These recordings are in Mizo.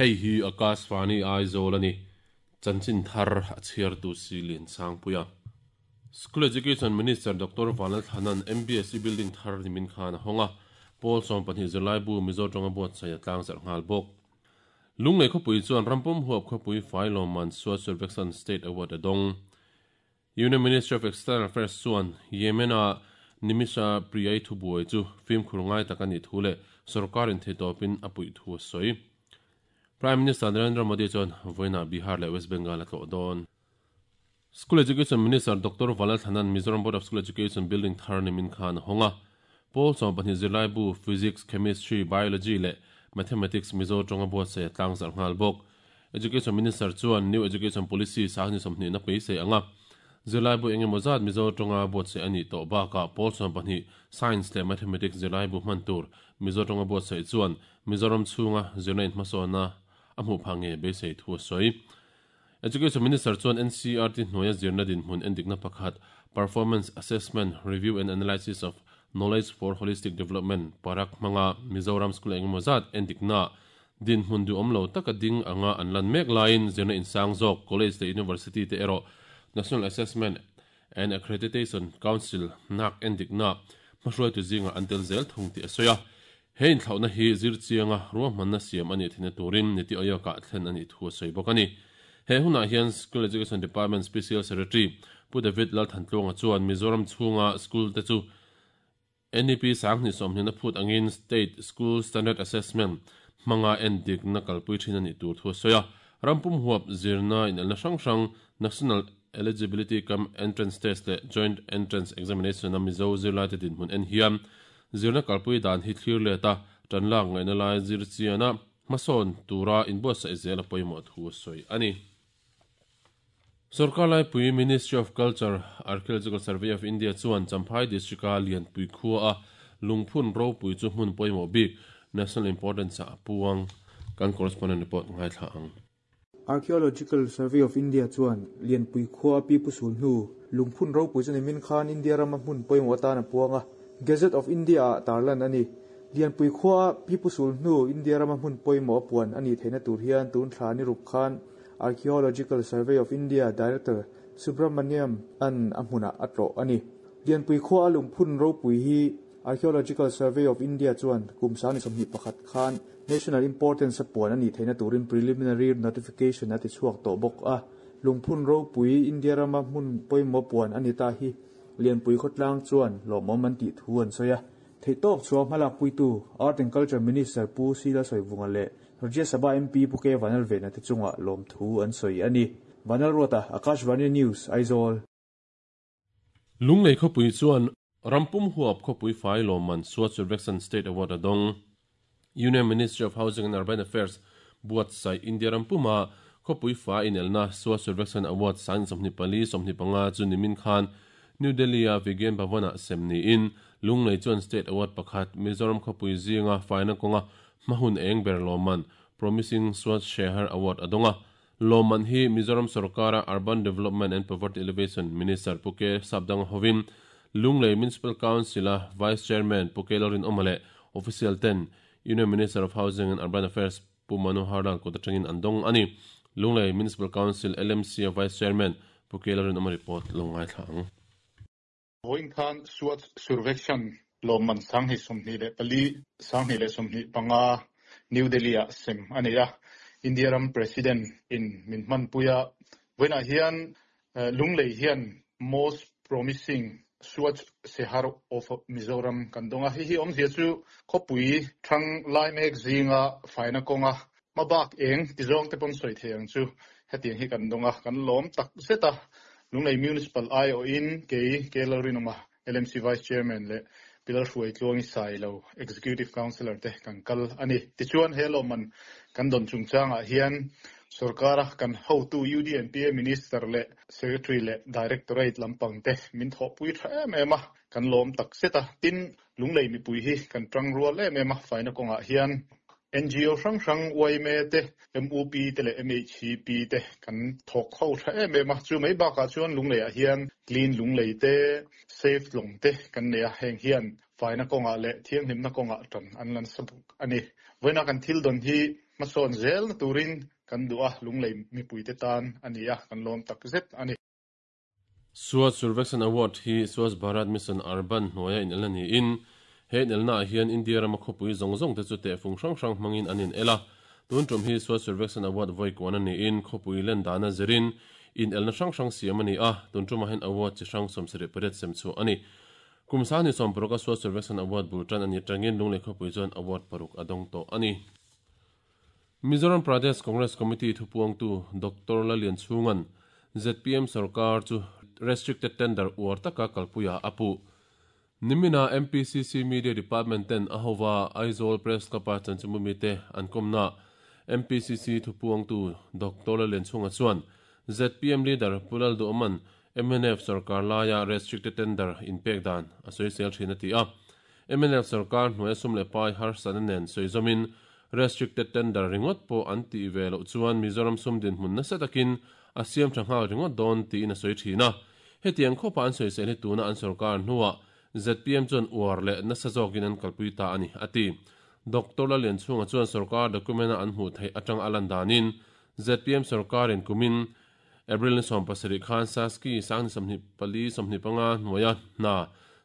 Hei hi Akashvani Aizawl a ni. Chanchin thar a chhiartu si Liansangpuia. School Education Minister Doctor Vanlalthlana'n MBSE building thar nimin khan a hawng a, pawl 12 zirlaibu Mizo tawnga buatsaih a tlangzarh nghal bawk. Lunglei khawpui chuan rampum huap khawpui fai lawmman Swachh Survekshan State Award a dawng. Union Ministry of External Affairs chuan Yemen-a Nimisha Priyai thubuai chu fimkhur ngai tak a nih thu leh sorkarin theitawpin a puih thu a sawi. Prime Minister Narendra Modi chuan vawiinah Bihar leh West Bengal a tlawh dawn. School Education Minister Doctor Vanlalthlana'n Mizoram Board of School Education building thar nimin khan a hawng a. Pawl 12 zirlaibu Physics, Chemistry, Biology leh Mathematics Mizo tawnga buatsaih a tlangzarh nghal bawk. Education Minister chuan New Education Policy sahni sawmhnihna peisei anga zirlaibu eng emaw zat Mizo tawnga buatsaih a nih tawh bakah pawl 12 Science leh Mathematics zirlaibu hman tur Mizo tawnga buatsaih chuan Mizoram chhunga zirna inhmasawnna a hmuh phah nge beisei thu a sawi. Education Minister chuan NCERT hnuaia zirna dinhmun endikna pakhat Performance Assessment, Review and Analysis of Knowledge for Holistic Development, PARAK, hmanga Mizoram school eng emaw zat endikna dinhmun duhawm lo taka ding anga an lan mek laiin zirna insang zawk college leh university te erawh National Assessment and Accreditation Council, NAAC, endikna hmahruaitu zingah an tel zel thung tih a sawi a. He inthlauhna hi zir chianga ruahmanna siam a nih theihna turin Niti Aayog-ah thlen a nih thu a sawi bawk a ni. He hunah hian School Education Department Special Secretary Pu David Lalthantluanga chuan Mizoram chhunga school te chu NEP 2020 a phut angin State School Standard Assessment hmanga endikna kalpui thin a nih tur thu a sawi a. Rampum huap zirna inelna hrang hrang National Eligibility cum Entrance Test leh Joint Entrance Examination-a Mizo zirlaite dinhmun en hian Zirna kalpui dan hi thlir let a, tan lak ngaihna lai zir chian a, hmasawn tura inbuatsaih zel a pawimawh thu a sawi a ni. Sorkar laipui Ministry of Culture, Archaeological Survey of India chuan Champhai District-a Lianpui khua a lungphun ropui chu hmun pawimawh bik, national importance, ah a puang. Kan correspondent report ngaithla ang. Archaeological Survey of India chuan Lianpui khua a pipu sul hnu lungphun ropui chu nimin khan India rama hmun pawimawh atan a puang a, Gazette of India ah tarlan a ni. Lianpui khua a pipu sul hnu India rama hmun pawimawh a puan a nih theihna tur hian tun thla ni ruk khan Archaeological Survey of India Director Subramaniam an a hmunah a tlawh a ni. Lianpui khua a lungphun ropui hi Archaeological Survey of India chuan kum 21 khan National Importance a puan a nih theihna turin Preliminary Notification a ti chhuak tawh bawk a. Lungphun ropui India rama hmun pawimawh puan a ni ta hi Lianpui khawtlang chuan lawmawm an tih thu an sawi a. Theihtawk chhuah hmalakpuitu Art and Culture Minister Pu Sila Sawivunga leh Rajya Sabha MP Pu K Vanlalvena te chungah lawmthu an sawi a ni. Vanlalruata, Akashvani News, Aizawl. Lunglei khawpui chuan rampum huap khawpui fai lawmman Swachh Survekshan State Award a dawng. Union Ministry of Housing and Urban Affairs buatsaih India rampuma khawpui fai inelna Swachh Survekshan Award 24 25 chu nimin khan New Delhi-a Vigyan Bhavan-ah sem niin Lunglei chuan State Award pakhat Mizoram khawpui zinga faina kawnga hmahun eng ber lawmman Promising Swachh Shehar Award a dawng a. Lawmman hi Mizoram sorkara Urban Development and Poverty Alleviation Minister Pu K Sapdanga hovin Lunglei Municipal Council-a Vice Chairman Pu K Lalrinawma leh Official ten Union Minister of Housing and Urban Affairs Pu Manohar Lal kut atangin an dawng a ni. Lunglei Municipal Council, LMC, a Vice Chairman Pu K Lalrinawma report lo ngaithla ang. Vawiin khan Swachh Survekshan lawmman 24, 2025 New Delhi-ah sem a nei a, India ram President in min hmanpui a. Vawiinah hian Lunglei hian Most Promising Swachh Shehar of Mizoram kan dawng a, hei hi awmzia chu khawpui thang lai mek zinga faina kawnga Hmabak eng ti zawng te pawn sawi thei ang chu hetiang hi kan dawng a, kan lawm tak zet a. Lunglei Municipal aiawhin kei K Lalrinawma, LMC Vice Chairman leh Pi Lalhruai Tluangi Sailo, Executive Councillor te kan kal a ni. Tichuan he lawmman kan dawn chungchangah hian sorkara kan hotu UDNPA Minister leh Secretary leh Directorate lampang te min thawhpui tha em em a, kan lawm tak zet a. Tin, Lunglei mipui hi kan tang rual em em a, faina kawngah hian NGO hrang hrang yma te, MUP te leh MHCP te kan thawk ho tha em em a, chu mai bakah chuan Lungleiah hian Clean Lunglei te, Safe Tlawng te kan nei a, heng hian faina kawngah leh thianghlimna kawngah tan an la nasa bawk a ni. Vawiina kan thil dawn hi. Hmasawn zelna turin kan duh a, Lunglei mipuite tan a ni a, kan lawm tak zet a ni. Swachh Survekshan Award hi Swachh Bharat Mission Urban hnuaia inelna niin, he inelnaah hian India rama khawpui zawng zawng te chu tehfung hrang hrang hmangin an inel a. Tun tum hi Swachh Survekshan Award vawi kuan a niin, khawpui len dana zirin inelna hrang hrang siam a ni a, tun tumah hian award chi hrang 78 sem chhuah a ni. Kum 2016 a Swachh Survekshan Award bul tan a ni atangin Lunglei khawpui chuan award paruk a dawng tawh a ni. Mizoram Pradesh Congress Committee thupuangtu Doctor Lalianchhunga'n zpm sorkar chu restricted tender uar taka kalpuia a puh. Nimina MPCC Media Department ten a hova Aizawl Press Club-a chanchinbumite an kawmnaah MPCC thupuangtu Doctor Lalianchhunga chuan zpm leader Pu Lalduhawma'n mnf sorkar laia restricted tender inpek dan a sawisel thin a ti a. Mnf sorkar hnuaia sum leh pai harsatna nen sawi zawmin restricted tender ringawt pawh an tih ve loh chuan Mizoram sum dinhmun nasa takin a siam tha nghal ringawt dawn tiin a sawi thin a. Hetiang khawpa an sawisel hi tuna an sorkar hnuah zpm chuan uar leh nasa zawkin an kalpui ta a ni, a ti. Doctor Lalianchhunga chuan sorkar document-a an hmuh theih atang a lan danin zpm sorkarin kumin April ni 17 khan Saski sang ni 24 25 hnuaia hna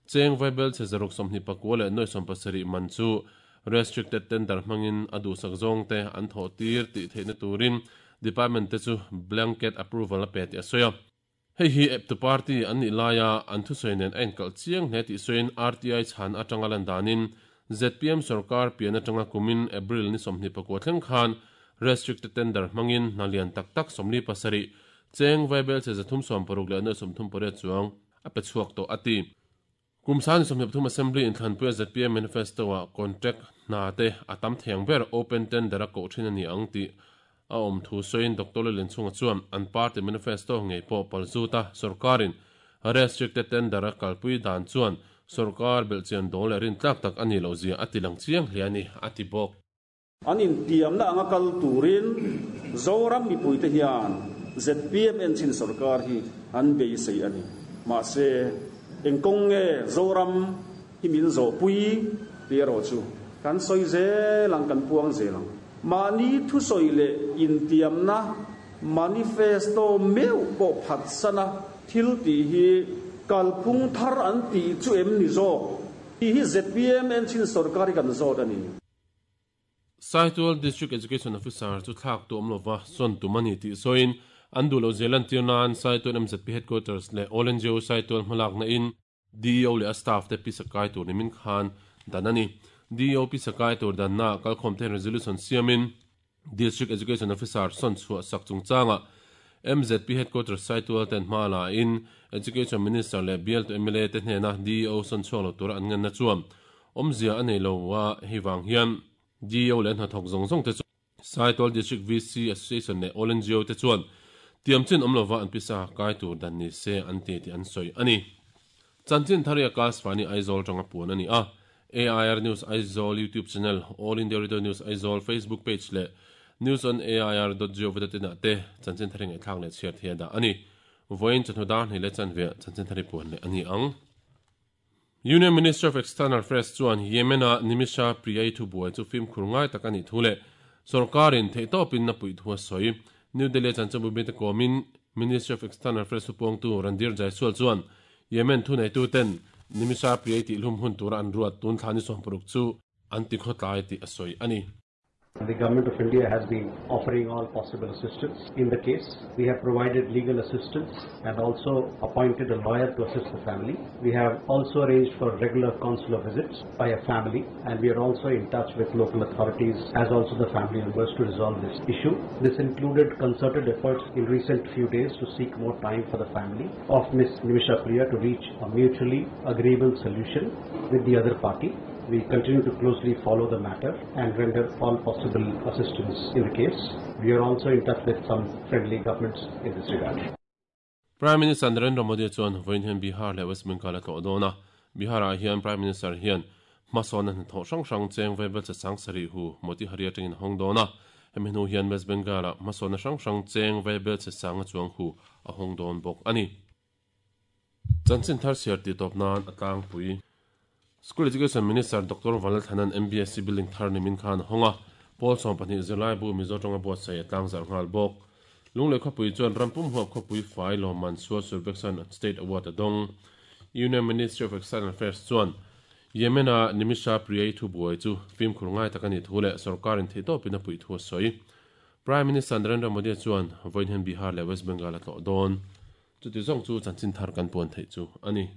cheng vaibel chhe zaruk 29 leh nuai 70 man chu restricted tender hmangin a duhsak zawngte an thawh tir tih theihna turin department te chu blanket approval a pe tih a sawi a. Hei hi eptu party an nih laia an thusawi nen a inkalh chiang hle tih sawiin RTI chhan atanga lan danin zpm sorkar pian atanga kumin April ni 29 thleng khan restricted tender hmangin hna lian tak tak 47 cheng vaibel che 360 leh nuai 38 chuang a pe chhuak tawh a ti. Kum sang ni 23 Assembly inthlanpuia zpm manifesto-ah contract hna te a tam thei ang ber open tender a koh thin a ni ang tih a awm thu sawiin Doctor Lallianchhunga chuan an party manifesto ngei pawh palzut a, sorkarin restricted tender a kalpui dan chuan sorkar belhchian dawl leh rintlak tak a nih loh zia a ti lang chiang hle a ni, a ti bawk. An intiamna anga kal turin Zoram mipuite hian zpm enchin sorkar hi an beisei a ni. Mahse, eng kawng nge Zoram hi min zawhpui tih erawh chu kan sawi zel ang, kan puang zel ang. Mahni thusawi leh intiamna manifesto meuh pawh phatsana thil tih hi kalphung thar an tih chu em ni zawk tih hi zpm enchin sorkar hi kan zawt a ni. Saitual District Education Officer chu thlak tu awm lova sawn tum a ni tih sawiin an duh loh zia lantir nan Saitual MZP Headquarters leh All NGO Saitual hmalakna in DEO leh a staff te pisa kai tur nimin khan dan a ni. DEO pisa kai tur danna kalkhawm te resolution siamin District Education Officer sawn chhuah sak chungchangah MZP Headquarters Saitual ten hma la in Education Minister leh bialtu mla te hnena DEO sawn chhuak lo tura an ngenna chuan awmzia a nei lo a, hei vang hian DEO leh hnathawk zawng zawng te chu Saitual District VC Association leh All NGO te chuan tiamchin awm lova an pisa kai tur dan ni se an ti tih an sawi a ni. Chanchin thar hi Akashvani Aizawl tanga puan a ni a, AIR News Aizawl YouTube channel, All India Radio News Aizawl Facebook page leh News on AIR dot gov dot in ah te chanchin thar hi ngaihthlak leh chhiar thei a dah a ni. Vawiin chawhnu dar hnih leh chanve chanchin thar hi puan leh a ni ang. Union Minister of External Affairs chuan Yemen-a Nimisha Priyai thubuai chu fimkhur ngai tak a nih thu leh sorkarin theihtawpin a puih thu a sawi. New Delhi-a chanchinbu mite kawmin Ministry of External Affairs thupuangtu Randhir Jaiswal chuan Yemen thuneituten Nimisha Priyai tihhlum hun tura an ruat tun thla ni 16 chu an tikhawtlai tih a sawi a ni. The government of India has been offering all possible assistance in the case. We have provided legal assistance and also appointed a lawyer to assist the family. We have also arranged for regular consular visits by a family, and we are also in touch with local authorities as also the family members to resolve this issue. This included concerted efforts in recent few days to seek more time for the family of Ms. Nimisha Priya to reach a mutually agreeable solution with the other party. We continue to closely follow the matter and render all possible assistance in the case. We are also in touch with some friendly governments in this regard. Prime Minister Narendra Modi chuan vawiin hian Bihar leh West Bengal a tlawh dawn a. Bihar-ah hian Prime Minister hian hmasawnna hnathawh hrang hrang cheng vaibel che sang sarih hu Motihari atangin a hawng dawn a. Hemi hnu hian West Bengal-ah hmasawnna hrang hrang cheng vaibel che sang a chuang hu a hawng dawn bawk a ni. Chanchin thar chhiar tih tawp nan a tlangpui. School Education Minister Doctor Vanlalthanan MBSC building thar nimin khan a hawng a. Pawl 12 zirlaibu Mizo tawnga buatsaih a tlangzarh nghal bawk. Lunglei khawpui chuan rampum huap khawpui fai lawmman Swachh Survekshan State Award a dawng. Union Ministry of External Affairs chuan Yemen-a Nimisha Priya-i thubuai chu fimkhur ngai tak a nih thu leh sorkarin theihtawpin a puih thu a sawi. Prime Minister Narendra Modi chuan vawiin hian Bihar leh West Bengal a tlawh dawn. Chuti zawng chu chanchin thar kan puan theih chu a ni.